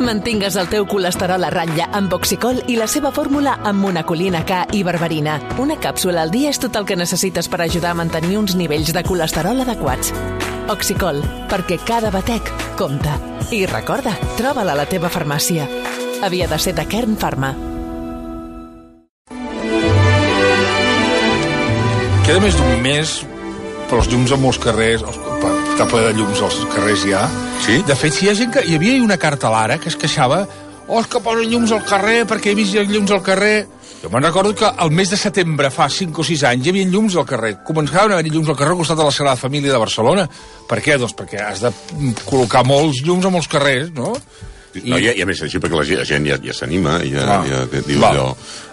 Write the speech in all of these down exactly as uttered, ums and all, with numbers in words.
Mantingues el teu colesterol a ratlla amb Oxicol i la seva fórmula amb monacolina K i berberina. Una càpsula al dia és tot el que necessites per ajudar a mantenir uns nivells de colesterol adequats. Oxicol, perquè cada batec compta. I recorda, troba-la a la teva farmàcia. Havia de ser de Kern Pharma. Queda més d'un mes, però els llums a molts carrers, està ple de llums als carrers ja. Sí? De fet, si hi ha gent que... Hi havia una carta a l'Ara que es queixava oh, és que posen llums al carrer perquè he vist llums al carrer. Jo me'n recordo que al mes de setembre, fa cinc o sis anys, hi havia llums al carrer. Començaven a haver llums al carrer al costat de la Sagrada Família de Barcelona. Per què? Doncs perquè has de col·locar molts llums a molts carrers, no? No, I, i a més així perquè la gent ja, ja s'anima, ja, ah, ja diu val. allò...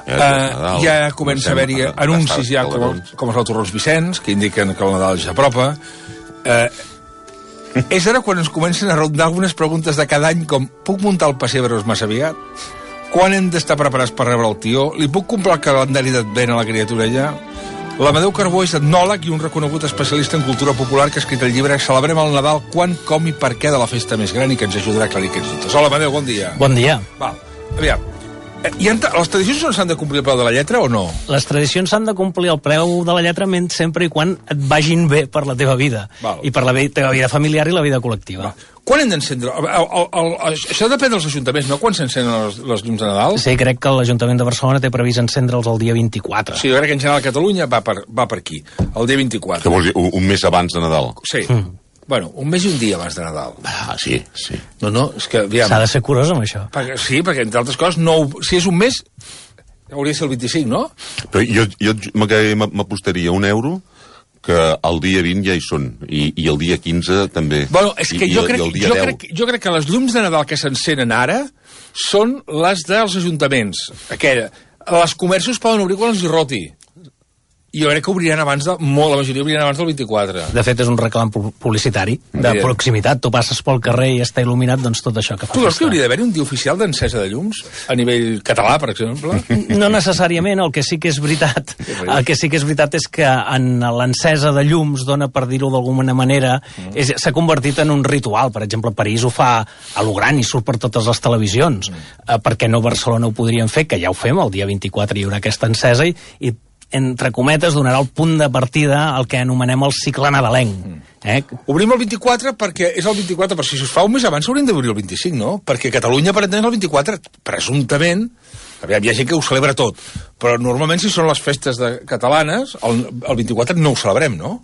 Ja, uh, Nadal, ja comença a haver-hi anuncis ja com, com els Torrons Vicenç, que indiquen que el Nadal ja apropa. Uh, és ara quan ens comencen a rondar algunes preguntes de cada any, com puc muntar el pessebre massa aviat? Quan hem d'estar preparats per rebre el tió? Li puc comprar el calendari d'advent a la criatura ja? L'Amadeu Carbó és etnòleg i un reconegut especialista en cultura popular que ha escrit el llibre Celebrem el Nadal, quan, com i per què de la festa més gran i que ens ajudarà a aclarir aquests dubtes. Hola, Amadeu, bon dia. Bon dia. Val, aviam. I les tradicions s'han de complir el preu de la lletra o no? Les tradicions s'han de complir el preu de la lletra sempre i quan et vagin bé per la teva vida. Val. I per la teva vida familiar i la vida col·lectiva. Val. Quan hem d'encendre? Això depèn dels ajuntaments, no? Quan s'encenen les, les llums de Nadal? Sí, crec que l'Ajuntament de Barcelona té previst encendre'ls el dia vint-i-quatre. Sí, jo crec que en general a Catalunya va per, va per aquí, el dia vint-i-quatre. Què vols dir? Un, un mes abans de Nadal? Sí. Mm. Bueno, un mes i un dia abans de Nadal. Ah, sí, sí. No, no, és que... S'ha de ser curós amb això. Perquè, sí, perquè entre altres coses, no, si és un mes, hauria de ser el vint-i-cinc, no? Però jo, jo m'apostaria un euro que el dia vint ja hi són, i, i el dia quinze també. Bueno, és que I, jo, i, crec, i jo, crec, jo crec que les llums de Nadal que s'encenen ara són les dels ajuntaments. Aquella. Les comerços poden obrir quan els hi roti. I jo crec que obriran abans de... Molt, la majoria obriran abans del vint-i-quatre. De fet, és un reclam publicitari de Bien. proximitat. Tu passes pel carrer i està il·luminat, doncs tot això que fa. Tu creus que hauria d'haver un dia oficial d'encesa de llums? A nivell català, per exemple? No necessàriament. El que sí que és veritat el que sí que és veritat és que en l'encesa de llums, dona per dir-ho d'alguna manera, és, s'ha convertit en un ritual. Per exemple, París ho fa a lo gran i surt per totes les televisions. Mm. Eh, per què no Barcelona ho podrien fer? Que ja ho fem, el dia vint-i-quatre hi haurà aquesta encesa i, i entre cometes, donarà el punt de partida al que anomenem el cicle nadalenc. Eh? Obrim el vint-i-quatre perquè és el vint-i-quatre, però si es fa un mes abans s'haurien d'obrir el vint-i-cinc, no? Perquè Catalunya, per entendre, el vint-i-quatre, presumptament, aviam, hi ha gent que ho celebra tot, però normalment si són les festes de catalanes, el, el vint-i-quatre no ho celebrem, no?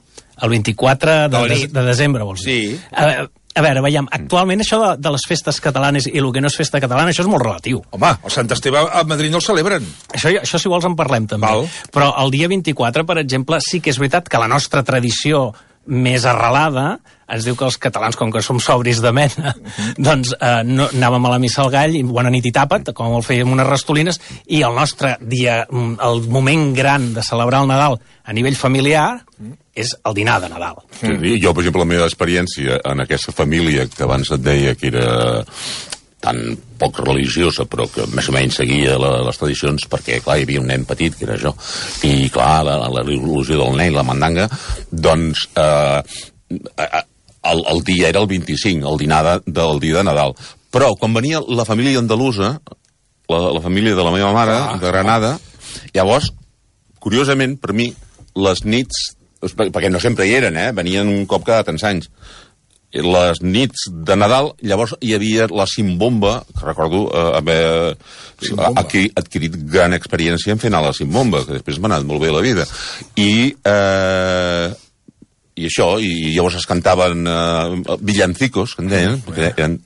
El vint-i-quatre de, de, de desembre, vols dir? Sí. A, a veure, veiem, actualment això de, de les festes catalanes i el que no és festa catalana, això és molt relatiu. Home, el Sant Esteve a Madrid no el celebren. Això, això si vols en parlem també. Val. Però el dia vint-i-quatre, per exemple, sí que és veritat que la nostra tradició més arrelada ens diu que els catalans, com que som sobris de mena, uh-huh. doncs eh, no, anàvem a la missa al gall i bona nit i tapa't, com el fèiem unes rastolines, i el nostre dia, el moment gran de celebrar el Nadal a nivell familiar uh-huh. és el dinar de Nadal. Sí, mm. Jo, per exemple, la meva experiència en aquesta família que abans et deia que era tan poc religiosa, però que més o menys seguia la, les tradicions, perquè, clar, hi havia un nen petit, que era jo, i, clar, la, la il·lusió del nen, la mandanga, doncs, eh, el, el dia era el vint-i-cinc, el dinar de, del dia de Nadal. Però, quan venia la família andalusa, la, la família de la meva mare, ah, de Granada, ah. llavors, curiosament, per mi, les nits, perquè no sempre hi eren, eh? Venien un cop cada tants anys, les nits de Nadal, llavors hi havia la Simbomba, que recordo eh, haver adquirit, adquirit gran experiència en fer anar la Simbomba, que després m'ha anat molt bé la vida. I, eh, i això, i llavors es cantaven eh, villancicos, que en deien, perquè eren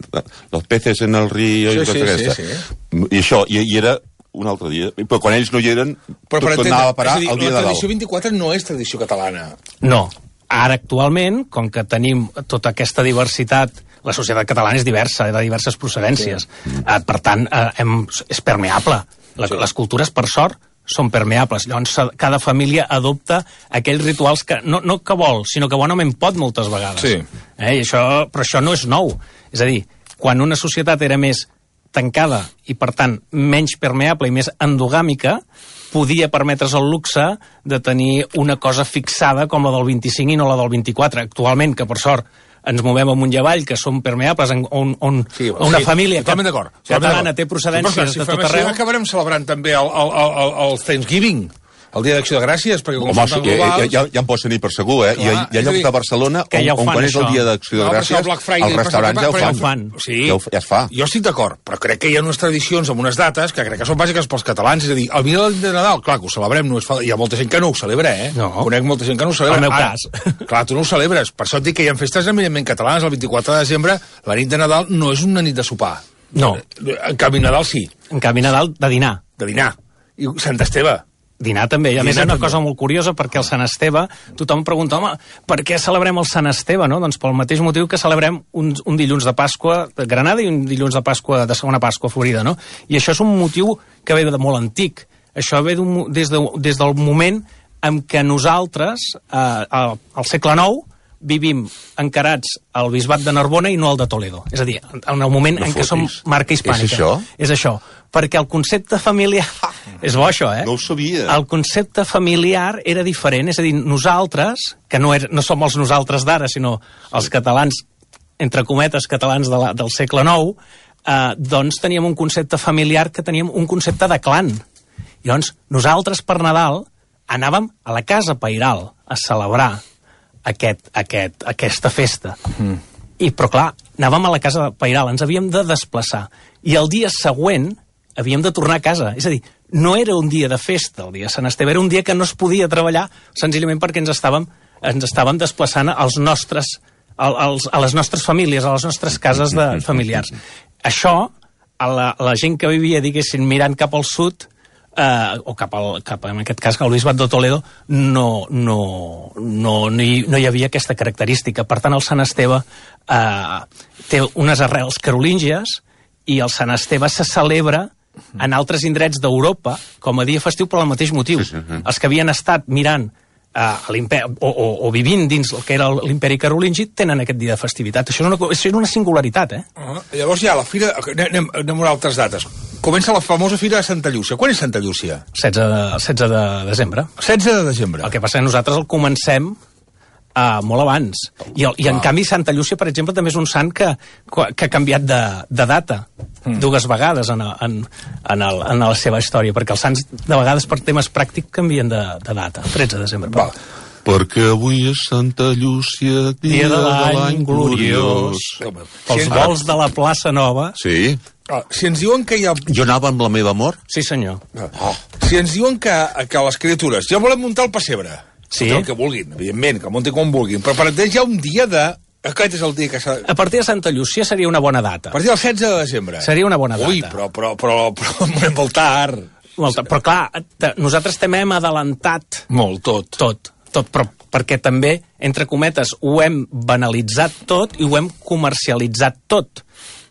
los peces en el río, sí, i tot sí, aquesta. Sí, sí. I això, i, i era un altre dia, però quan ells no hi eren, però, tot anava a parar dir, el dia de Nadal. La Nadal. tradició vint-i-quatre no és tradició catalana. No. Ara, actualment, com que tenim tota aquesta diversitat, la societat catalana és diversa, de diverses procedències. Sí. Eh, per tant, eh, hem, és permeable. La, sí. Les cultures, per sort, són permeables. Llavors, cada família adopta aquells rituals que no, no que vol, sinó que bonament pot moltes vegades. Sí. Eh, i això, però això no és nou. És a dir, quan una societat era més tancada i, per tant, menys permeable i més endogàmica, podia permetre's el luxe de tenir una cosa fixada com la del vint-i-cinc i no la del vint-i-quatre. Actualment, que per sort ens movem amunt i avall, que són permeables, on, on, sí, on una sí, família catalana té procedències si de tot arreu. Acabarem celebrant també el, el, el, el Thanksgiving, el Dia d'Acció de Gràcies, perquè com Home, són tan ja, globals... ja, ja em pots tenir per segur, eh? Clar, hi ha, hi ha llocs de Barcelona on, ja on quan és el Dia d'Acció de no, Gràcies, Friday, els restaurants ja ho fan. fan. Sí, ja, ho, ja es fa. Jo estic d'acord, però crec que hi ha unes tradicions amb unes dates que crec que són bàsiques pels catalans, és a dir, el dia de Nadal, clar, que ho celebrem, no és fa... hi ha molta gent que no ho celebra, eh? No. Conec molta gent que no ho celebra. El meu Ara, cas. Clar, tu no ho celebres, per això et dic que hi ha festes eminentment catalanes, el vint-i-quatre de desembre, la nit de Nadal no és una nit de sopar. No. En canvi, Nadal sí. En canvi, Nadal, de dinar. De dinar. I Sant Esteve. Dinar també, i a Dinar més hi ha una també. cosa molt curiosa, perquè el Sant Esteve, tothom pregunta, home, per què celebrem el Sant Esteve, no? Doncs pel mateix motiu que celebrem un, un dilluns de Pasqua de Granada i un dilluns de Pasqua de segona Pasqua a Florida, no? I això és un motiu que ve de molt antic. Això ve des, de, des del moment en què nosaltres, eh, al, al segle nou, vivim encarats al bisbat de Narbona i no al de Toledo. És a dir, en el moment No en què fotis. som marca hispànica. És això? És això. Perquè el concepte familiar... És bo, això, eh? No ho sabia. El concepte familiar era diferent. És a dir, nosaltres, que no, er, no som els nosaltres d'ara, sinó els catalans, entre cometes, catalans de la, del segle nou, eh, doncs teníem un concepte familiar que teníem un concepte de clan. I llavors, nosaltres per Nadal anàvem a la casa pairal a celebrar aquest, aquest, aquesta festa. Mm. I, però clar, anàvem a la casa pairal, ens havíem de desplaçar. I el dia següent havíem de tornar a casa. És a dir, no era un dia de festa, el dia de Sant Esteve, era un dia que no es podia treballar senzillament perquè ens estàvem, ens estàvem desplaçant als nostres, als, a les nostres famílies, a les nostres cases de familiars. Això, a la, a la gent que vivia, diguéssim, mirant cap al sud, eh, o cap, al, cap, en aquest cas, al bisbat de Toledo, no, no, no, no, hi, no hi havia aquesta característica. Per tant, el Sant Esteve eh, té unes arrels carolíngies i el Sant Esteve se celebra en altres indrets d'Europa com a dia festiu per al mateix motiu. Sí, sí, sí. Els que havien estat mirant uh, o, o, o vivint dins el que era l'imperi carolingi tenen aquest dia de festivitat. Això és una, és una singularitat, eh? Uh, llavors ja, la fira... Anem, anem a altres dates. Comença la famosa fira de Santa Llúcia. Quan és Santa Llúcia? setze de desembre. setze de desembre. El que passa és que nosaltres el comencem Uh, molt abans. I, el, i en canvi Santa Llúcia, per exemple, també és un sant que, que ha canviat de, de data mm. dues vegades en, en, en, el, en la seva història, perquè els sants de vegades per temes pràctics canvien de, de data. tretze de desembre. Va. Perquè avui és Santa Llúcia, dia, dia de l'any gloriós. Pels Si vols de la plaça Nova... Sí. Ah, si ens diuen que hi ha... Jo anava amb la meva amor. Sí, senyor. Oh. Si ens diuen que, que les criatures ja volem muntar el pessebre, sí. el que vulguin, evidentment, que muntin com vulguin, però per entendre hi ha un dia de... Aquest és el dia que s'ha... A partir de Santa Llúcia seria una bona data. A partir del setze de desembre. Seria una bona data. Ui, però, però, però, però, però molt tard. Molt tard. Però clar, te, nosaltres també hem adelantat... Molt, tot. Tot, tot, però perquè també, entre cometes, ho hem banalitzat tot i ho hem comercialitzat tot.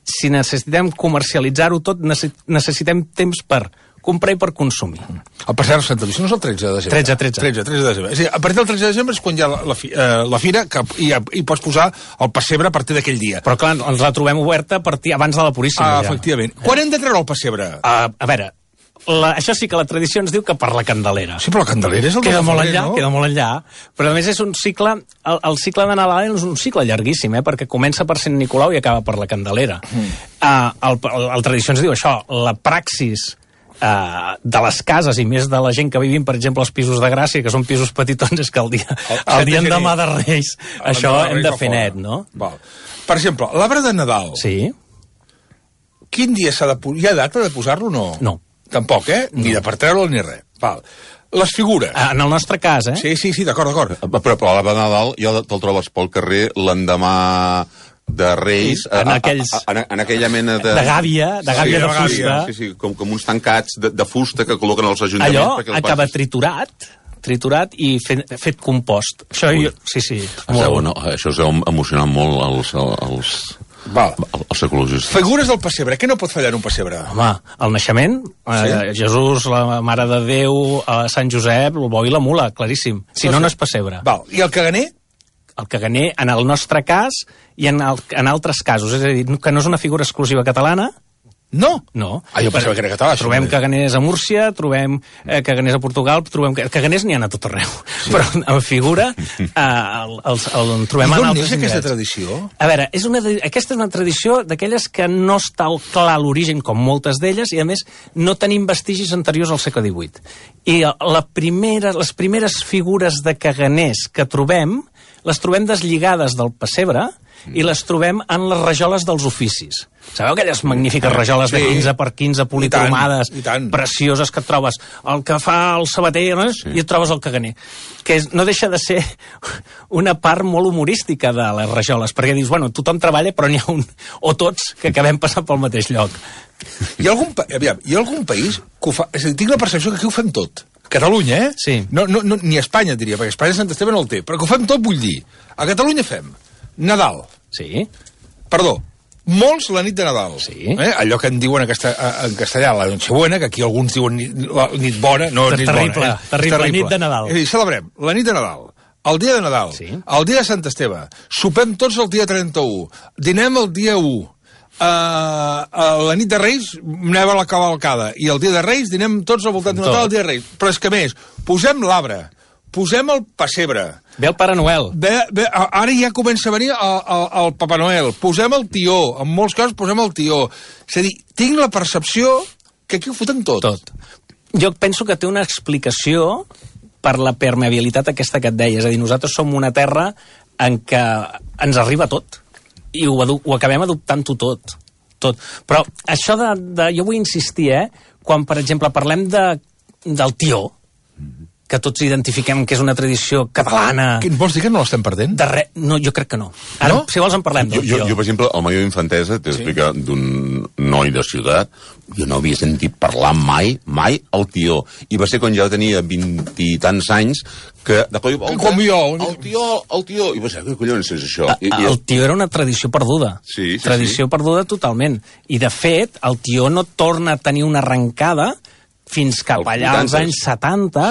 Si necessitem comercialitzar-ho tot, necessitem temps per comprar i per consumir. El pessebre Santa Llúcia no és el tretze de desembre. tretze, tretze. tretze, tretze de desembre. És a dir, a partir del tretze de desembre és quan hi ha la, la, fi, eh, la fira que hi, hi pots posar el pessebre a partir d'aquell dia. Però clar, ens la trobem oberta a partir abans de la Puríssima. Ah, ja. efectivament. Quan hem de treure el pessebre? Uh, a veure, la, això sí que la tradició ens diu que per la Candelera. Sí, però la Candelera és el Queda de molt febrer, enllà, no? queda molt enllà. Però a més és un cicle, el, el cicle de Nadal és un cicle llarguíssim, eh? Perquè comença per Sant Nicolau i acaba per la Candelera. Mm. Uh, el, el, el tradició ens diu això, la praxis Uh, de les cases i més de la gent que vivim, per exemple, als pisos de Gràcia, que són pisos petitons, és que el dia, el, el dia en demà de Reis, el això de hem de fer net, no? Val. Per exemple, l'arbre de Nadal. Sí. Quin dia s'ha de posar? Hi ha data de posar-lo o no? No. Tampoc, eh? Ni de per treure-lo ni res. Val. Les figures. Uh, en el nostre cas, eh? Sí, sí, sí, d'acord, d'acord. Però, però l'arbre de Nadal ja te'l trobes pel carrer l'endemà de Reis, sí, en, aquells, a, a, en, en aquella mena de... De gàbia, de gàbia sí, de fusta. Sí, sí, com, com uns tancats de, de fusta que col·loquen als ajuntaments. Allò acaba passes... triturat, triturat i fet, fet compost. Això, jo, sí, sí. Molt... No, això us heu emocionat molt als, als, Val. als ecologistes. Figures del pessebre. Què no pot fallar en un pessebre? Home, el naixement, sí. eh, Jesús, la Mare de Déu, eh, Sant Josep, el bo i la mula, claríssim. Si no, no és pessebre. Val. I el caganer? El caganer, en el nostre cas i en, el, en altres casos. És a dir, que no és una figura exclusiva catalana, No? No. Ah, jo pensava que era català. Trobem caganers a Múrcia, trobem eh, caganers a Portugal, trobem... Caganers n'hi ha a tot arreu. Sí. Però en figura eh, el, el, el, el trobem en altres indrets. I d'on neix aquesta tradició? A veure, és una, aquesta és una tradició d'aquelles que no està clar l'origen, com moltes d'elles, i a més no tenim vestigis anteriors al segle divuit. I la primera, les primeres figures de caganers que trobem, les trobem deslligades del pessebre i les trobem en les rajoles dels oficis. Sabeu aquelles magnífiques rajoles de quinze per quinze policromades, I tant, i tant. precioses que et trobes el que fa el sabater, no? Sí. I et trobes el caganer. Que és, no deixa de ser una part molt humorística de les rajoles, perquè dius, bueno, tothom treballa, però n'hi ha un, o tots, que acabem passant pel mateix lloc. Hi ha algun, aviam, hi ha algun país que ho fa... És a dir, tinc la percepció que aquí ho fem tot. Catalunya, eh? Sí. No, no, no, ni Espanya, diria, perquè Espanya Sant Esteve no el té, però que ho fem tot, vull dir. A Catalunya fem Nadal. Sí. Perdó, molts la nit de Nadal. Sí. Eh? Allò que en diuen en, casta, en castellà, la Nochebuena, que aquí alguns diuen nit, la nit bona, no nit terrible, bona. Eh? Terrible, terrible, nit de Nadal. És a dir, celebrem la nit de Nadal, el dia de Nadal, sí. el dia de Sant Esteve, sopem tots el dia trenta-u, dinem el dia u, uh, uh, la nit de Reis anem a la cavalcada, i el dia de Reis dinem tots al voltant de Nadal el dia de Reis. Però és que més, posem l'arbre, posem el pessebre. Ve el Pare Noel. Ve, ve, ara ja comença a venir el, el, el Papa Noel. Posem el tió. En molts casos posem el tió. És a dir, tinc la percepció que aquí ho foten tot. Tot. Jo penso que té una explicació per la permeabilitat aquesta que et deia. És a dir, nosaltres som una terra en què ens arriba tot. I ho, ho acabem adoptant-ho tot. Tot. Però això de, de... Jo vull insistir, eh? Quan, per exemple, parlem de, del tió, que tots identifiquem que és una tradició catalana... Què vols dir que no l'estem perdent? De re... No, jo crec que no. Ara, no? Si vols, en parlem. Jo, jo, jo per exemple, al Major d'Infantesa, t'he sí. explicat d'un noi de ciutat, jo no havia sentit parlar mai, mai el tió. I va ser quan ja tenia vint i tants anys que... De cop, el, Com jo. El tió, el tió... I va ser, què collons és això? I, i el tió era una tradició perduda. Sí, sí, tradició sí. perduda totalment. I, de fet, el tió no torna a tenir una arrencada fins cap allà als anys setanta,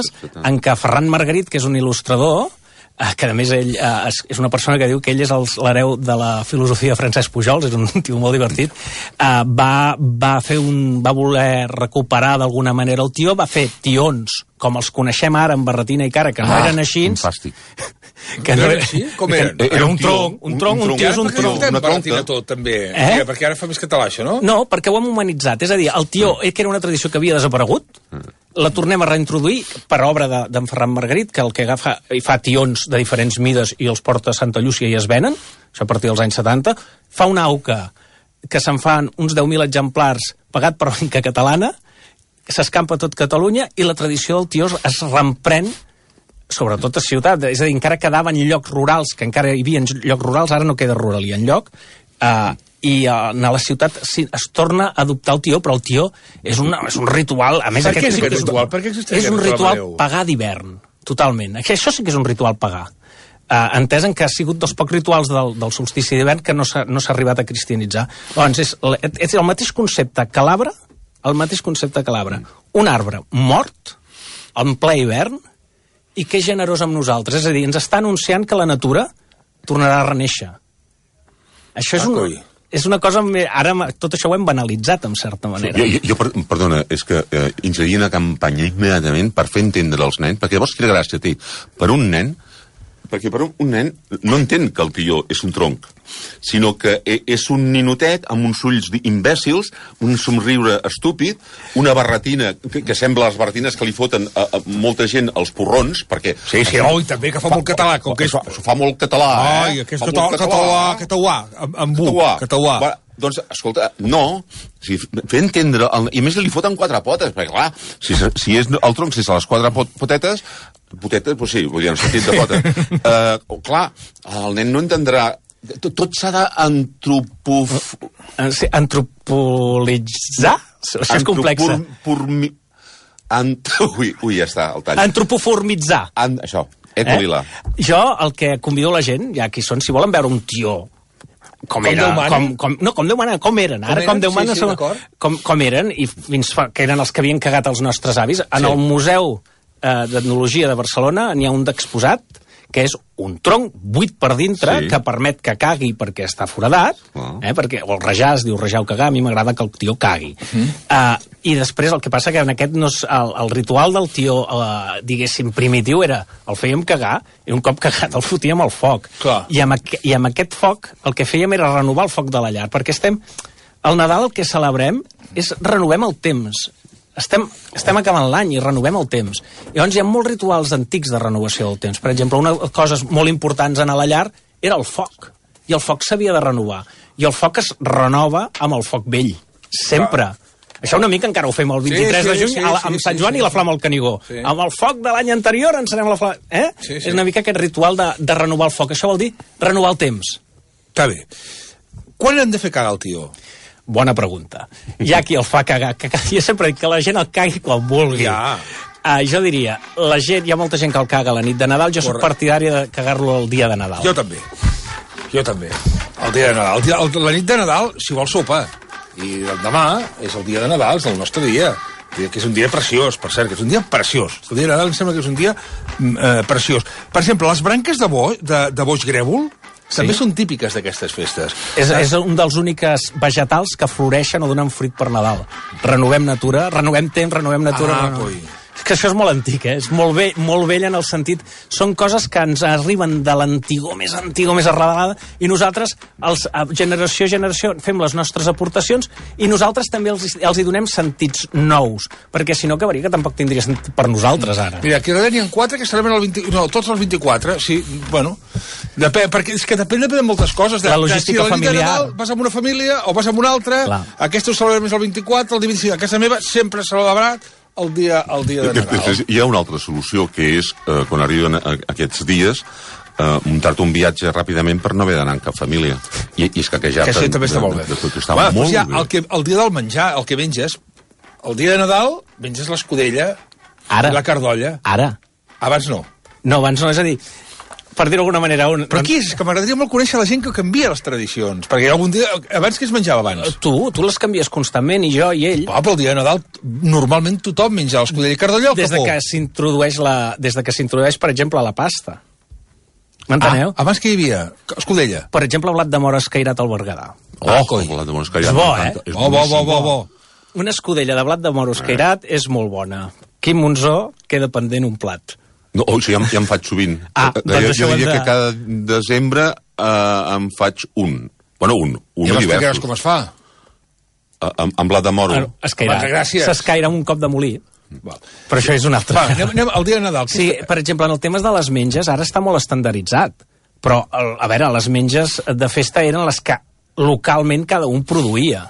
en què Ferran Margarit, que és un il·lustrador, eh, que a més ell eh, és una persona que diu que ell és l'hereu de la filosofia de Francesc Pujols, és un tio molt divertit, eh, va, va, fer un, va voler recuperar d'alguna manera el tió, va fer tions, com els coneixem ara, amb barretina i cara, que no ah, eren així. Fantàstic. Que no era així? Com eren? Era un tronc, un tronc, un tió és un tronc. Una barretina tot, també. Eh? Perquè ara fa més català, això, no? No, perquè ho hem humanitzat. És a dir, el tió, mm. que era una tradició que havia desaparegut, mm. la tornem a reintroduir per obra d'en de, Ferran Margarit, que el que agafa i fa tions de diferents mides i els porta a Santa Llúcia i es venen, això a partir dels anys setanta, fa una auca que se'n fan uns deu mil exemplars pagat per Banca Catalana, s'escampa tot Catalunya i la tradició del tió es reemprèn sobretot a ciutat, és a dir, encara quedaven llocs rurals, que encara hi havia llocs rurals, ara no queda ruralia enlloc, uh, i uh, a la ciutat sí, es torna a adoptar el tió, però el tió és, una, és un ritual, a més... Per què és aquest ritual? Per què existeix és un ritual pagà d'hivern, totalment. Això sí que és un ritual pagà. Uh, entès en que ha sigut dels pocs rituals del, del solstici d'hivern que no s'ha no s'ha arribat a cristianitzar. Doncs és, és el mateix concepte que l'arbre, el mateix concepte que l'arbre. Un arbre mort, en ple hivern, i que és generós amb nosaltres. És a dir, ens està anunciant que la natura tornarà a renéixer. Això és, un, és una cosa... Ara tot això ho hem banalitzat, en certa manera. Jo, jo, jo perdona, és que eh, inserir una campanya immediatament per fer entendre als nens, perquè llavors quina gràcia té. Per un nen, perquè per un, un nen no entén que el tió és un tronc, sinó que és un ninotet amb uns ulls imbècils, un somriure estúpid, una barretina que, que sembla les barretines que li foten a, a molta gent als porrons, perquè... Sí, sí, oh, i també que fa, fa molt català. Com que és... Això fa molt català, eh? Ai, que és català, català, català, amb bu, català. Va, doncs, escolta, no, si, fer entendre, el, i més li foten quatre potes, perquè clar, si, si és el tronc, si és a les quatre pot, potetes, potetes, doncs sí, vull dir, en sentit de pota. Uh, clar, el nen no entendrà. Tot, tot s'ha d'antropof... Sí, antropolitzar? Això és complex. Purmi... Ant... Ui, ui, ja està, el tall. Antropoformitzar. An... Això, ecolila. Eh? Jo el que convido la gent, ja aquí són, si volen veure un tió com, com era, com, com, no, com Déu mana, com eren, ara com, com Déu mana, sí, sí, com, com eren, i fins fa, que eren els que havien cagat els nostres avis. En sí. el Museu eh, d'Etnologia de Barcelona n'hi ha un d'exposat que és un tronc buit per dintre, sí. que permet que cagui perquè està foradat, oh. eh, perquè, o el rajar, es diu rajar o cagar, a mi m'agrada que el tió cagui. Mm. Uh, I després el que passa que en aquest no és, el, el ritual del tió, uh, diguéssim, primitiu era, el fèiem cagar, i un cop cagat el fotíem al foc. I amb, aqu I amb aquest foc el que fèiem era renovar el foc de la llar, perquè estem... El Nadal el que celebrem és renovem el temps. Estem, estem acabant l'any i renovem el temps. Llavors hi ha molts rituals antics de renovació del temps. Per exemple, una de les coses molt importants en a la llar era el foc. I el foc s'havia de renovar. I el foc es renova amb el foc vell. Sempre. Ah. Això una mica encara ho fem el vint-i-tres sí, sí, de juny, sí, sí, amb Sant Joan sí, sí, i la flama al Canigó. Sí. Amb el foc de l'any anterior encenem la flama... Eh? Sí, sí. És una mica aquest ritual de, de renovar el foc. Això vol dir renovar el temps. Està bé. Quan hem de fer cagar el tió? Bona pregunta. Hi ha qui el fa cagar. Jo sempre dic que la gent el cagui quan vulgui. Ja. Uh, jo diria, la gent, hi ha molta gent que el caga la nit de Nadal, jo soc partidari de cagar-lo el dia de Nadal. Jo també. Jo també. El dia de Nadal. El dia, el, la nit de Nadal, si vol sopa. I el demà és el dia de Nadal, és el nostre dia. Que és un dia preciós, per cert, que és un dia preciós. El dia de Nadal em sembla que és un dia eh, preciós. Per exemple, les branques de, bo, de, de boix grèvol sí. també són típiques d'aquestes festes. És, és un dels únics vegetals que floreixen o donen fruit per Nadal. Renovem natura, renovem temps, renovem natura... Ah, renovem... És que això és molt antic, eh? És molt vell, molt vell en el sentit... Són coses que ens arriben de l'antigor, més antigor, més arrelada, i nosaltres, els, generació a generació, fem les nostres aportacions i nosaltres també els, els hi donem sentits nous, perquè si no acabaria que tampoc tindria sentit per nosaltres, ara. Mira, aquí n'hi ha quatre que celebren el vint... No, tots els vint-i-quatre, sí, bueno... Depèn, perquè és que depèn de moltes coses. De, la logística de, si familiar... Nadal vas amb una família o vas amb una altra, Clar. Aquesta ho celebrem més el vint-i-quatre, el dia vint-i-cinc. A casa meva sempre s'ha celebrat el dia, el dia de Nadal. Després, hi ha una altra solució, que és, eh, quan arriben aquests dies, eh, muntar-te un viatge ràpidament per no haver d'anar amb cap família. I, i és que ja... Que això també està molt bé. De, de, de, està bueno, molt doncs ja, bé. El, que, el dia del menjar, el que menges, el dia de Nadal, menges l'escudella Ara. i la cardolla. Ara. Abans no. No, abans no, és a dir... per dir-ho d'alguna manera... Un... Però aquí és que m'agradaria molt conèixer la gent que canvia les tradicions, perquè algun dia... Abans què es menjava abans? Tu, tu les canvies constantment, i jo, i ell... Ah, però el dia de Nadal normalment tothom menja l'escudella i cardolla al des capó. De que s'introdueix la... Des de que s'introdueix, per exemple, la pasta. M'enteneu? Ah, abans què hi havia? Escudella. Per exemple, blat de mora escairat al Berguedà. Oh, ah, el blat de mora escairat. És bo, eh? És bo, bo, bo, bo, bo. Una escudella de blat de mora escairat eh. és molt bona. Quim Monzó queda pendent un plat. No, o sigui, ja, ja em faig sovint. Ah, jo, doncs jo diria de... que cada desembre eh, em faig un. Bueno, un. un I m'explicaràs com es fa? Uh, amb, amb blat de moro. Ah, escairar. S'escaira amb un cop de molí. Val. Però això és un altre. Va, anem, anem al dia de Nadal. Sí, per exemple, en el tema de les menges, ara està molt estandarditzat. Però, a veure, les menges de festa eren les que localment cada un produïa.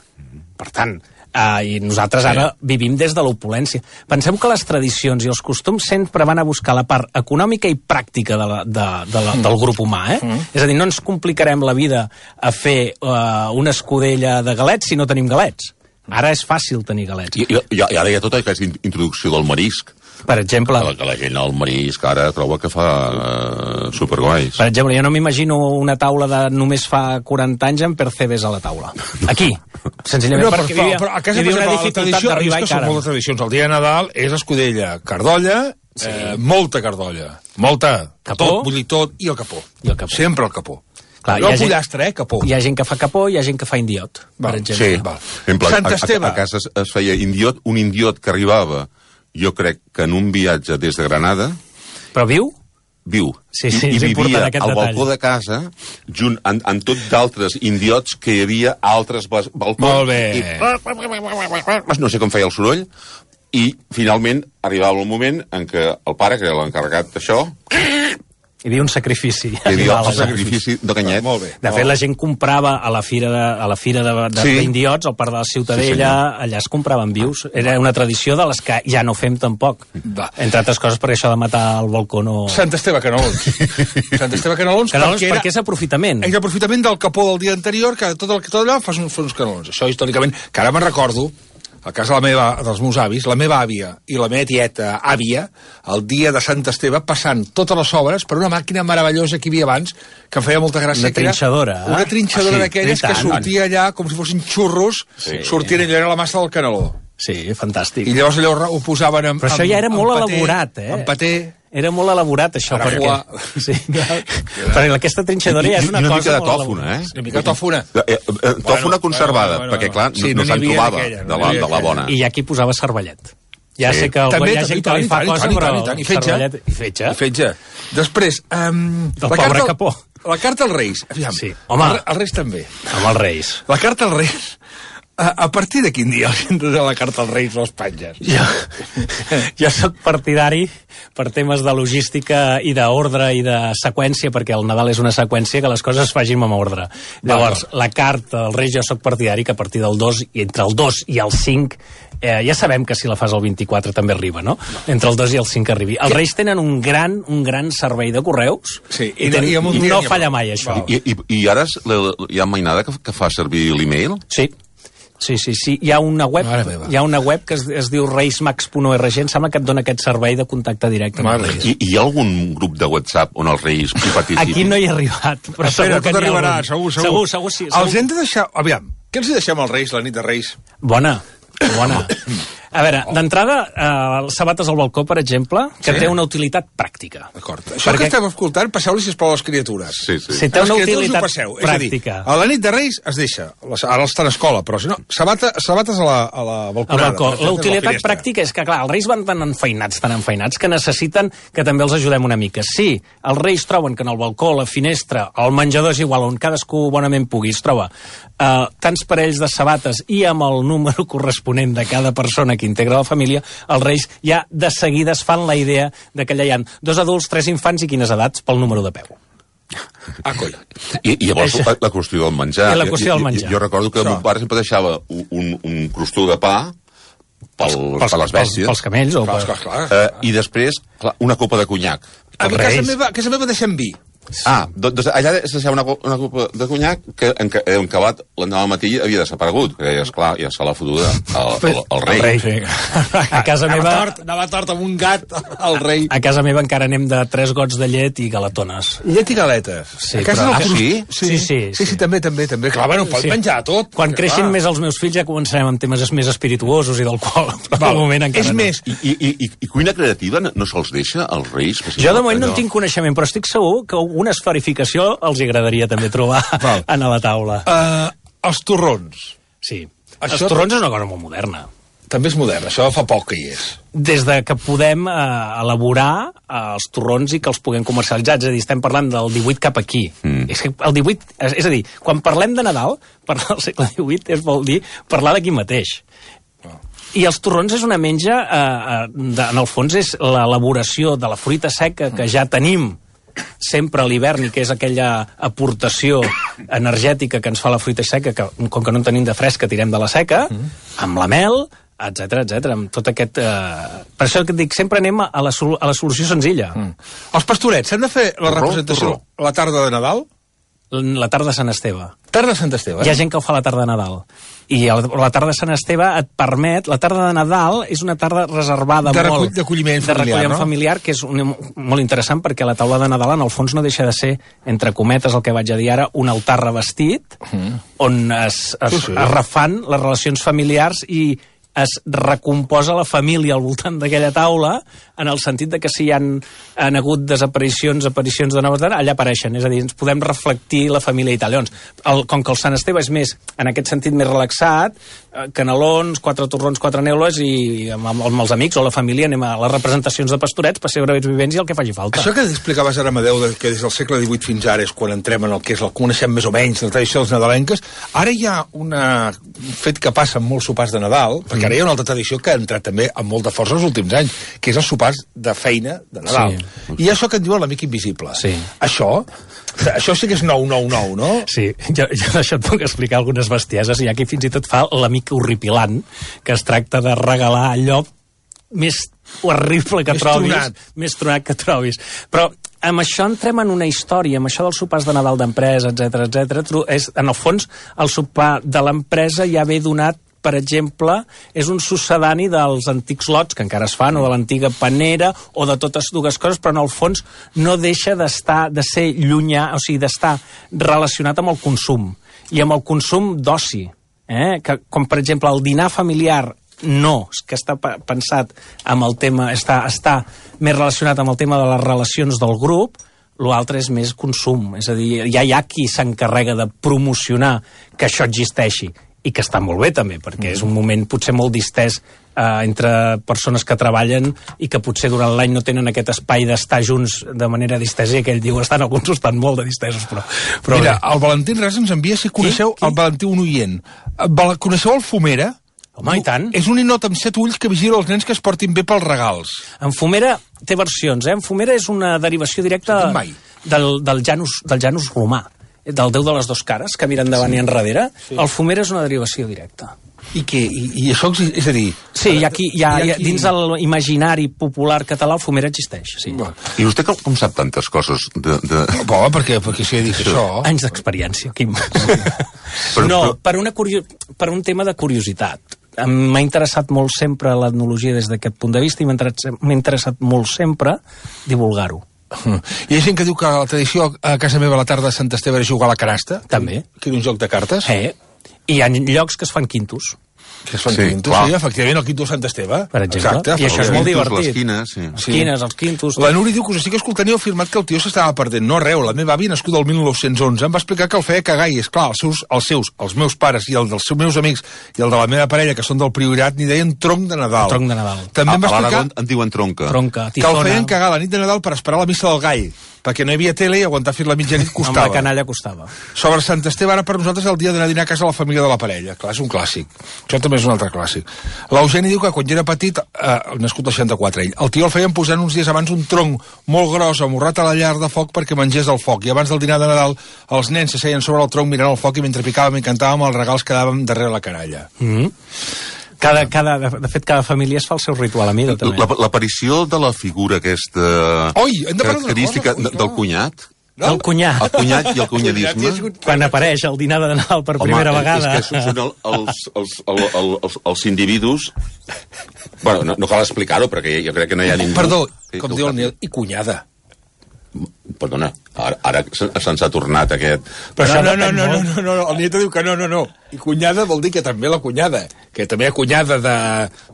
Per tant... Uh, i nosaltres ara sí. vivim des de l'opulència. Pensem que les tradicions i els costums sempre van a buscar la part econòmica i pràctica de la, de, de la, del grup humà, eh? Mm. És a dir, no ens complicarem la vida a fer uh, una escudella de galets si no tenim galets. Ara és fàcil tenir galets. I, i, i ara hi ha tota aquesta introducció del marisc. Per exemple... Que, que la gent al marisc ara troba que fa uh, superguais. Per exemple, jo no m'imagino una taula de només fa quaranta anys amb percebes a la taula. Aquí. Senzillament no, perquè però, havia, però a casa, hi havia una exemple, dificultat d'arribar i cara. Són moltes tradicions. El dia de Nadal és escudella, cardolla, sí. eh, molta cardolla. Molta. Capó. Tot, vull dir tot, i el capó. I el capó. Sempre el capó. Clar, no el pollastre, eh, capó. Hi ha gent que fa capó, hi ha gent que fa indiot, per Val, exemple. Sí, Val. Exemple, Sant Esteve. A, a, a casa es, es feia indiot, un indiot que arribava, jo crec que en un viatge des de Granada... Però viu? Viu. Sí, sí, I, i vivia al detall. balcó de casa, junt amb, amb tot d'altres indiots que hi havia altres balcons. Molt bé. I, no sé com feia el soroll, i finalment arribava el moment en què el pare, que era l'encarregat d'això... Hi havia un sacrifici. Hi havia el sacrifici de Canyet. Molt bé. De fet, la gent comprava a la fira de, a la fira de, de, sí. d'indiots, al Parc de la Ciutadella, sí, allà es compraven vius. Era una tradició de les que ja no fem tampoc. Va. Entre altres coses, perquè això de matar al balcó no... Sant Esteve Canelons. Sant Esteve Canelons, Canelons perquè, era... perquè és aprofitament. És aprofitament del capó del dia anterior, que tot, el, tot allò fas uns, uns canelons. Això històricament, que ara me'n recordo, a casa de la meva, dels meus avis, la meva àvia i la meva tieta àvia, el dia de Sant Esteve, passant totes les obres per una màquina meravellosa que hi havia abans, que em feia molta gràcia. Una trinxadora. Una trinxadora ah, sí, d'aquelles que sortia allà com si fossin xurros, sí. sortien allò, era la massa del caneló. Sí, fantàstic. I llavors allò ho posaven amb... Però això amb, ja era molt paté, elaborat, eh? Amb paté... Era molt elaborat, això, Ara perquè... fuà. Sí. Perquè aquesta trinxadora ja és una, I una cosa mica de molt tòfona, eh? Una mica tòfona. Eh, eh, eh, tòfona Bueno, conservada, bueno, bueno, perquè, clar, sí, no, no no se'n n'hi havia trobava d'aquella, no de, n'hi la, havia de la bona. I aquí posava cervellet. Ja Sí. sé que També, hi ha gent que li fa i tant, cosa, i tant, però i tant, i fetge. cervellet i fetge. I fetge. Després, um, Del pobre Capó. La carta als Reis. Aviam, Sí. Home. el, els Reis també. Amb els Reis. La carta als Reis, a, a partir de quin dia hauríem de la carta als Reis les penges? Jo, jo sóc partidari per temes de logística i d'ordre i de seqüència, perquè el Nadal és una seqüència, que les coses es facin amb ordre. Llavors, la carta als Reis jo sóc partidari que a partir del dos, i entre el dos i el cinc, eh, ja sabem que si la fas el vint-i-quatre també arriba, no? Entre el dos i el cinc arribi. Els Reis tenen un gran, un gran servei de correus, Sí, i, i ten, no- i amb un i dia no n'hi ha falla prou. mai, això. Val. I, i, I ara és la- hi ha mainada que, que fa servir l'email? Sí. Sí, sí, sí. Hi ha una web, Mare meva. hi ha una web que es, es diu reismax punt org, em sembla que et dona aquest servei de contacte directe amb Mare els Reis. I, I hi ha algun grup de WhatsApp on els Reis hi participin? Aquí no hi he arribat, però Espera, segur que tot n'hi ha arribarà, algun. segur, segur. Segur, segur, sí. Segur. Els hem de deixar... Aviam, què els hi deixem als Reis la nit de Reis? Bona, bona. A veure, d'entrada, eh, sabates al balcó, per exemple, que Sí. té una utilitat pràctica. D'acord. Això Perquè- que estem escoltant, passeu-li, sisplau, a les criatures. Sí, sí. Si té A les una criatures utilitat ho passeu. pràctica. És a dir, a la nit de Reis es deixa. Les, ara està en escola, però si no, sabata, sabates a la, a la Al balconada. balcó. per exemple, La a la utilitat finestra. pràctica és que, clar, els reis van tan enfeinats, tan enfeinats, que necessiten que també els ajudem una mica. Si els reis troben que en el balcó, la finestra, el menjador és igual, on cadascú bonament pugui, es troba eh, tants parells de sabates i amb el número corresponent de cada persona que integra la família, els reis ja de seguida es fan la idea de que allà hi ha dos adults, tres infants i quines edats pel número de peu. Ah, coi. I, i llavors Això. la, la qüestió del menjar. I la qüestió del Jo- jo- menjar. Jo, recordo que Això. mon pare sempre deixava un, un, un crostó de pa pels, per les bèsties. Pels, pels camells o Clar, per... clar, clar. Eh, I després, clar, una copa de conyac. A mi a casa meva, a casa meva deixem vi. Ah, doncs allà es deixava una, co- una copa de conyac que en, ca- en acabat l'endemà al matí havia desaparegut, que és clar, ja se l'ha fotuda al, al, al rei. El rei. Sí. A casa Anava meva... tort, anava tort amb un gat al rei. A casa meva encara anem de tres gots de llet i galatones. Llet i galetes. Sí, a casa però- del Ah, cros- sí? Sí, Sí, sí, sí, sí, sí. també, també, també. Clar, bueno, pot Sí. menjar tot. Quan perquè, creixin clar. més els meus fills ja començarem amb temes més espirituosos i d'alcohol. Però Val. de moment encara És no. més, I, i, i, I cuina creativa no, no se'ls deixa als reis? Jo de moment no en tinc coneixement, però estic segur que una esferificació els agradaria també trobar Val. a la taula. Uh, els torrons. Sí. Això- Els torrons és una cosa molt moderna. També és modern, això fa poc que hi és. Des de que podem eh, elaborar eh, els torrons i que els puguem comercialitzar. És a dir, estem parlant del divuit cap aquí. Mm. És que el divuit... És, és a dir, quan parlem de Nadal, parlar del segle divuit és vol dir parlar d'aquí mateix. I els torrons és una menja, eh, eh, de, en el fons és l'elaboració de la fruita seca que ja tenim sempre a l'hivern i que és aquella aportació energètica que ens fa la fruita seca, que com que no en tenim de fresca tirem de la seca, amb la mel, etcètera, etcètera, amb tot aquest... Eh... Per això que et dic, sempre anem a la, sol- a la solució senzilla. Mm. Els pastorets, s'han de fer la Torró, representació torró. la tarda de Nadal? La tarda de Sant Esteve. Tarda de Sant Esteve, Hi ha eh? gent que ho fa la tarda de Nadal. I el- la tarda de Sant Esteve et permet... La tarda de Nadal és una tarda reservada De recull- molt... d'acolliment de familiar, recolliment no? familiar, que és un, molt interessant perquè la taula de Nadal en el fons no deixa de ser, entre cometes, el que vaig a dir ara, un altar revestit, mm. on es, es, Sí, sí. es refan les relacions familiars i es recomposa la família al voltant d'aquella taula, en el sentit de que si hi han, han hagut desaparicions, aparicions de noves, allà apareixen, és a dir, ens podem reflectir la família i tal. Llavors, el, com que el Sant Esteve és més, en aquest sentit, més relaxat, eh, canelons, quatre torrons, quatre neules, i amb, amb, amb els amics o la família anem a les representacions de pastorets, pessebre vivents i el que faci falta. Això que explicaves ara, Amadeu, de, que des del segle divuit fins ara és quan entrem en el que és el que coneixem més o menys, la tradició dels nadalenques, ara hi ha una, un fet que passa en molts sopars de Nadal, perquè ara hi ha una altra tradició que ha entrat també amb molta força els últims anys, que és els sopars de feina de Nadal. Sí. I això que en diuen l'amic invisible. Sí. Això, això sí que és nou nou nou, no? Sí, jo, jo d'això et puc explicar algunes bestieses. Hi ha qui fins i tot fa l'amic horripilant, que es tracta de regalar allò més horrible que Més trobis. tronat. Més tronat que trobis. Però amb això entrem en una història, amb això dels sopars de Nadal d'empresa, etcètera, etcètera. És, en el fons, el sopar de l'empresa ja ve donat, per exemple, és un succedani dels antics lots que encara es fan, o de l'antiga panera, o de totes dues coses, però en el fons no deixa d'estar, de ser llunyà, o sigui, d'estar relacionat amb el consum, i amb el consum d'oci. Eh? Que, com, per exemple, el dinar familiar no, és que està pensat amb el tema, està, està més relacionat amb el tema de les relacions del grup, l'altre és més consum, és a dir, ja hi ha qui s'encarrega de promocionar que això existeixi, i que està molt bé també, perquè és un moment potser molt distès eh, entre persones que treballen i que potser durant l'any no tenen aquest espai d'estar junts de manera distesa, i aquell diu, estan alguns estan molt de distesos, però... però Mira, bé. el Valentí Ras ens envia si coneixeu Qui? Qui? el Valentí, un oient. Val- Coneixeu el Fumera? Home, i tant. És un ninot amb set ulls que vigila els nens que es portin bé pels regals. En Fumera té versions, eh? En Fumera és una derivació directa Sentit mai. del, del, Janus, del Janus romà, del déu de les dos cares, que mira endavant sí. i enrere. Sí. El Fumera és una derivació directa. I què? I, i això, és a dir... Sí, hi ha qui, hi ha, hi ha, dins l'imaginari popular català el Fumera existeix, sí. I vostè com, com sap tantes coses de... de... Bo, perquè, perquè si he dit això... Anys d'experiència, Quim. Però- no, però- per, una curio... per un tema de curiositat. M'ha interessat molt sempre l'etnologia des d'aquest punt de vista i m'ha interessat, m'ha interessat molt sempre divulgar-ho. Hi ha gent que diu que la tradició a casa meva a la tarda de Sant Esteve era jugar a la canasta. També. Que era un joc de cartes. Eh? I hi ha llocs que es fan quintos. Que es fan Sí, quintos, clar. sí, efectivament, el quinto de Sant Esteve. Per exemple. Exacte. I això és molt Quintos, divertit. Les quines, sí. Els quines, els quintos... La Núria diu que us estic escoltant i heu afirmat que el tio s'estava perdent. No arreu, la meva àvia, nascuda el mil nou-cents onze, em va explicar que el feia cagar i, esclar, els seus, els seus, els meus pares i els dels seus meus amics i el de la meva parella, que són del Priorat, n'hi deien tronc de Nadal. El tronc de Nadal. També A, em va a explicar l'Aragó en diuen tronca. Tronca, que el tifona... feien cagar la nit de Nadal per esperar la missa del gall, perquè no hi havia tele i aguantar fins la mitjanit Amb la costava. canalla costava. Sobre Sant Esteve, ara per nosaltres el dia d'anar a dinar a casa de la família de la parella. Clar, és un clàssic. Això també és un altre clàssic. L'Eugeni diu que quan ja era petit, eh, nascut al seixanta-quatre ell, el tio el feien posant uns dies abans un tronc molt gros amorrat a la llar de foc perquè mengés el foc. I abans del dinar de Nadal, els nens s'asseien sobre el tronc mirant el foc i mentre picàvem i cantàvem els regals quedàvem darrere la canalla. Mm -hmm. Cada, cada, de fet, cada família es fa el seu ritual a mida, també. La- L'aparició de la figura aquesta Oi, hem de parlar d'una característica cosa, de- del cunyat, No? El cunyat. el cunyat i el cunyadisme... Quan apareix el dinar de Nadal per primera Home, vegada... és que són el, els, els, el, el, els, els individus... Bueno, no, no cal explicar-ho, perquè jo crec que no hi ha ningú... Perdó, que- com que diu ho el Nil, i cunyada. Perdona, ara, ara se- se'ns ha tornat aquest... Però això no, no, depèn no, no, molt. no, no, no, el Nieto diu que no, no, no. I cunyada vol dir que també la cunyada, que també hi ha cunyada de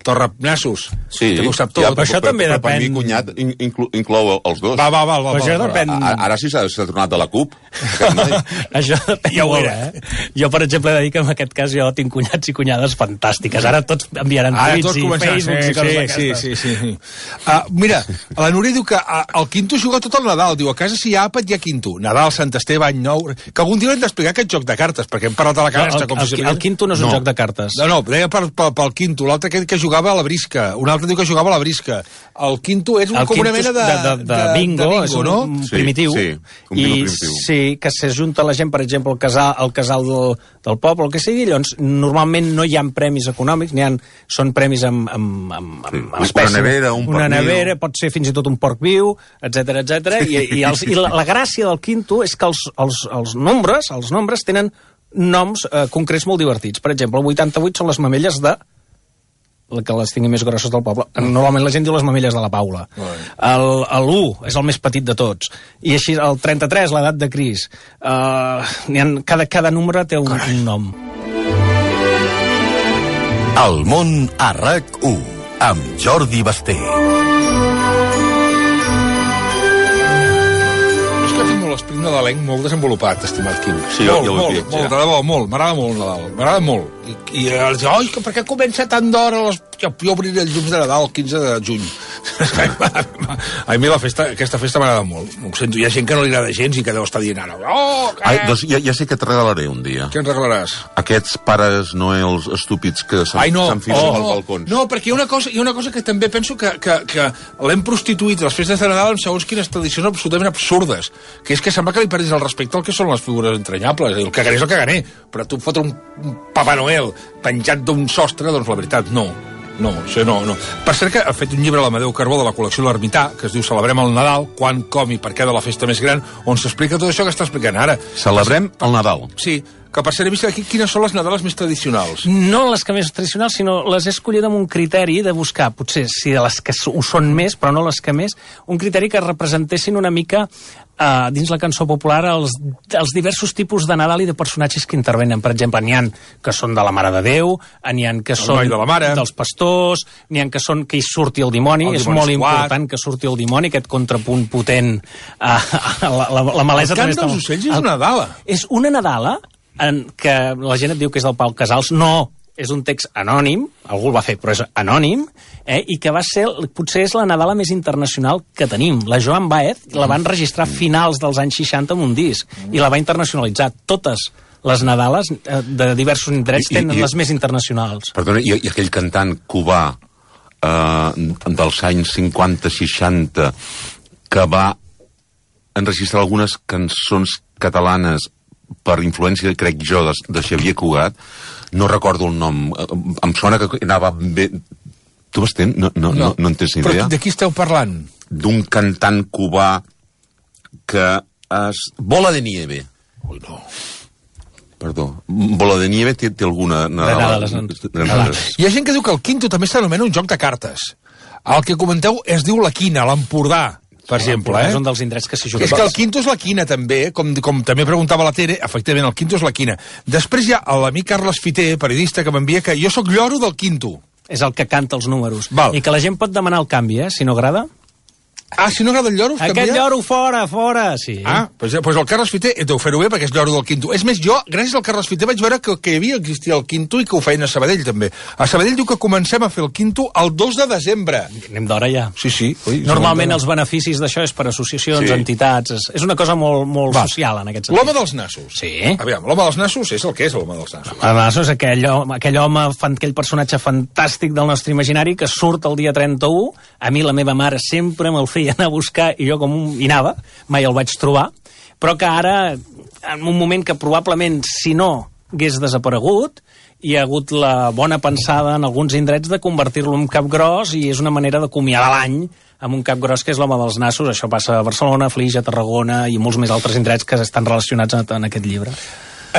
Torrenassos. Sí, també ho sap tot. ja, però això també però, Per mi, depèn. cunyat in- inclou, inclou els dos. Va, va, va, va. Però això va, va. depèn. A- Ara sí s'ha s'ha tornat de la CUP. aquest noi. Això depèn Ja ho molt, era. eh? Jo, per exemple, he de dir que en aquest cas jo tinc cunyats i cunyades fantàstiques. Ara tots enviaran Ara tuits tots i començaran, Facebooks i coses sí, d'aquestes. sí, sí, sí. Uh, mira, la Núria diu que uh, el quinto juga tot el Nadal. Diu, a casa si hi ha àpat hi ha quinto. Nadal, Sant Esteve, Any Nou... Que algun dia hem d'explicar aquest joc de cartes, perquè hem parlat de la canasta. El, com el, si el, el quinto no és un No. joc de cartes. No, no, deia per, per, pel quinto. L'altre que, que jugava a la brisca. Un altre diu que jugava a la brisca. El quinto és un, El com una quinto mena és de, de, de, de, bingo, de bingo, és un, no? un Sí, primitiu. sí, un bingo I primitiu. sí, que s'ajunta la gent, per exemple, al casal, al casal del, del poble, el que sigui, llavors normalment no hi ha premis econòmics, n'hi ha, són premis amb, amb, amb, Sí, amb una espècie. nevera, un Una porc viu. nevera, pot ser fins i tot un porc viu, etc etc. I, i, els, i la, la gràcia del quinto és que els, els, els nombres, els nombres tenen noms eh, concrets molt divertits. Per exemple, el vuitanta-vuit són les mamelles de la que les tingui més grosses del poble. Normalment la gent diu les mamelles de la Paula. El, el u és el més petit de tots. I així el trenta-tres, l'edat de Cris. Uh, ha, cada, cada número té un, un nom. El món a RAC u, amb Jordi Basté. És que tinc molt l'esperit nadalenc molt desenvolupat, estimat Quim. Sí, jo- molt, jo ho he molt, vist, molt, ja. de debò, molt. M'agrada molt Nadal, m'agrada molt. I, i els diu, oi, que per què comença tan d'hora? Les... Jo, jo obriré els llums de Nadal el quinze de juny. A mi la festa, aquesta festa m'agrada molt. Ho sento, hi ha gent que no li agrada gens i que deu estar dient ara, oh, què? Ai, doncs ja, ja sé que et regalaré un dia. Què ens regalaràs? Aquests pares noels estúpids que Ai, no, s'enfilen oh, als no, balcons. no, perquè hi ha una cosa, hi ha una cosa que també penso que, que, que l'hem prostituït les festes de Nadal amb segons quines tradicions absolutament absurdes, que és que sembla que li perdis el respecte al que són les figures entranyables. El caganer és el caganer, però tu fotre un, un Papa Noel penjat d'un sostre, doncs la veritat, no. No, això no, no. Per cert que ha fet un llibre l'Amadeu Carbó de la col·lecció L'Ermità, que es diu Celebrem el Nadal, quan, com i per què de la festa més gran, on s'explica tot això que està explicant ara. Celebrem el Nadal. Sí, que per ser he vist aquí quines són les Nadales més tradicionals. No les que més tradicionals, sinó les he escollit amb un criteri de buscar, potser sí, de les que ho són més, però no les que més, un criteri que representessin una mica Uh, dins la cançó popular els, els diversos tipus de Nadal i de personatges que intervenen. Per exemple, n'hi ha que són de la Mare de Déu, n'hi ha que són de la mare. dels pastors, n'hi ha que són que hi surti el dimoni, el és molt important que surti el dimoni, aquest contrapunt potent a, a la, la, la malesa. El cant dels ocells és una Nadala. És una Nadala en què la gent et diu que és del Pau Casals. No, és un text anònim, algú el va fer, però és anònim, eh, i que va ser, potser és la Nadala més internacional que tenim. La Joan Baez la van registrar a finals dels anys seixanta amb un disc, i la va internacionalitzar. Totes les Nadales eh, de diversos indrets I, i, tenen i, les més internacionals. Perdona, i, i aquell cantant cubà eh, dels anys cinquanta seixanta que va enregistrar algunes cançons catalanes per influència, crec jo, de, de Xavier Cugat, no recordo el nom, em sona que anava bé... Tu m'estén? No, no, no. no, no en tens ni idea? Però de qui esteu parlant? D'un cantant cubà que es... Bola de Nieve. Ui, no. Perdó. Bola de Nieve té, té alguna... Nadales. Nadales. Hi ha gent que diu que el quinto també s'anomena un joc de cartes. El que comenteu es diu la quina, l'Empordà, per exemple. Eh? És un dels indrets que s'hi juga. És que el quinto és la quina, també, com, com també preguntava la Tere, efectivament, el quinto és la quina. Després hi ha l'amic Carles Fiter, periodista, que m'envia que jo sóc lloro del quinto. És el que canta els números. Val. I que la gent pot demanar el canvi, eh, si no agrada. Ah, si no agrada el lloro, Aquest canvia? lloro fora, fora, sí. Ah, doncs, doncs el Carles Fiter deu fer-ho bé perquè és lloro del quinto. És més, jo, gràcies al Carles Fiter, vaig veure que, que hi havia, existia el quinto i que ho feien a Sabadell, també. A Sabadell diu que comencem a fer el quinto el dos de desembre. Anem d'hora ja. Sí, sí. Ui, Normalment els beneficis d'això és per associacions, Sí. entitats... És, és una cosa molt, molt Va. social, en aquest sentit. L'home dels nassos. Sí. Aviam, l'home dels nassos és el que és l'home dels nassos. Además, és aquell home, aquell home, fan, aquell personatge fantàstic del nostre imaginari que surt el dia trenta-u. A mi la meva mare sempre me'l feia anar a buscar i jo com un... hi anava, mai el vaig trobar, però que ara, en un moment que probablement, si no hagués desaparegut, hi ha hagut la bona pensada en alguns indrets de convertir-lo en cap gros i és una manera d'acomiadar l'any amb un cap gros que és l'home dels nassos. Això passa a Barcelona, a Flix, a Tarragona i molts més altres indrets que estan relacionats en, en aquest llibre.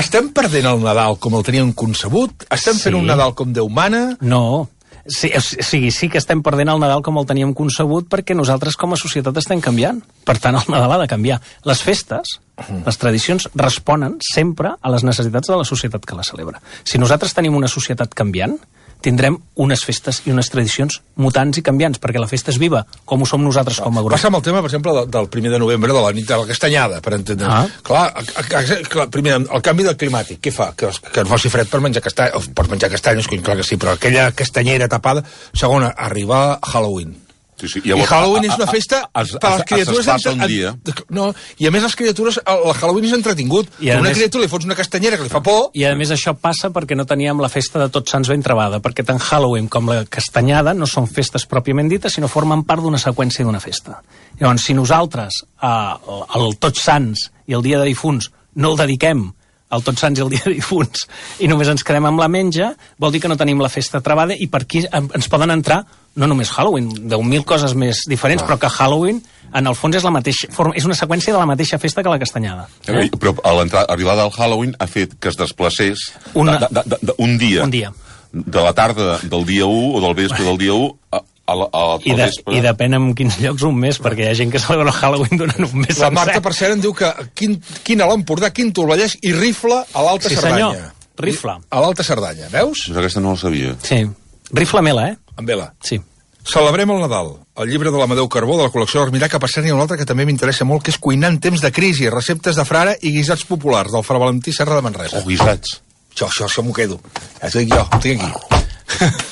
Estem perdent el Nadal com el teníem concebut? Estem Sí. fent un Nadal com Déu mana? No, sí, o sigui, sí que estem perdent el Nadal com el teníem concebut perquè nosaltres com a societat estem canviant. Per tant, el Nadal ha de canviar. Les festes, les tradicions, responen sempre a les necessitats de la societat que la celebra. Si nosaltres tenim una societat canviant, tindrem unes festes i unes tradicions mutants i canviants, perquè la festa és viva, com ho som nosaltres com a grup. Passa amb el tema, per exemple, de- del primer de novembre, de la nit de la castanyada, per entendre. Ah. Clar, a, a, a, clar, primer, el canvi del climàtic, què fa? Que, que no faci fred per menjar castanyes, per menjar castanyes, clar que sí, però aquella castanyera tapada. Segona, arribar a Halloween. Sí, sí. I Halloween és una festa es, per a les criatures... Es desplaça un en- dia. No, i a més les criatures, el el Halloween és entretingut. I a A una més- criatura li fots una castanyera que li fa por... I a més això passa perquè no teníem la festa de Tots Sants ben trebada, perquè tant Halloween com la castanyada no són festes pròpiament dites, sinó formen part d'una seqüència d'una festa. Llavors, si nosaltres eh, el Tots Sants i el Dia de Difunts no el dediquem al Tots Sants i el Dia de Difunts i només ens quedem amb la menja, vol dir que no tenim la festa travada i per aquí ens poden entrar no només Halloween, deu mil coses més diferents, ah. però que Halloween en el fons és la mateixa, és una seqüència de la mateixa festa que la castanyada. Eh? Però a l'arribada del Halloween ha fet que es desplacés Una... de, de, de, de, un dia. Un dia. De la tarda del dia u o del vespre del dia u a, a, la- a, I, al de, vespre. I depèn en quins llocs un mes, perquè hi ha gent que celebra Halloween durant un mes La Marta, sencer. per cert, em diu que quin, quin a l'Empordà, quin el Vallès i rifla a l'Alta Sí, Cerdanya. senyor, rifla. A l'Alta Cerdanya, veus? Doncs aquesta no la sabia. Sí, rifla mela, eh? Amb vela. Sí. Celebrem el Nadal, el llibre de l'Amadeu Carbó de la col·lecció d'Armirà, que per cert n'hi ha un altre que també m'interessa molt, que és Cuinar en temps de crisi, receptes de frare i guisats populars, del Fra Valentí Serra de Manresa. Oh, guisats. Això, això, això m'ho quedo. Ja t'ho dic jo, ho tinc aquí.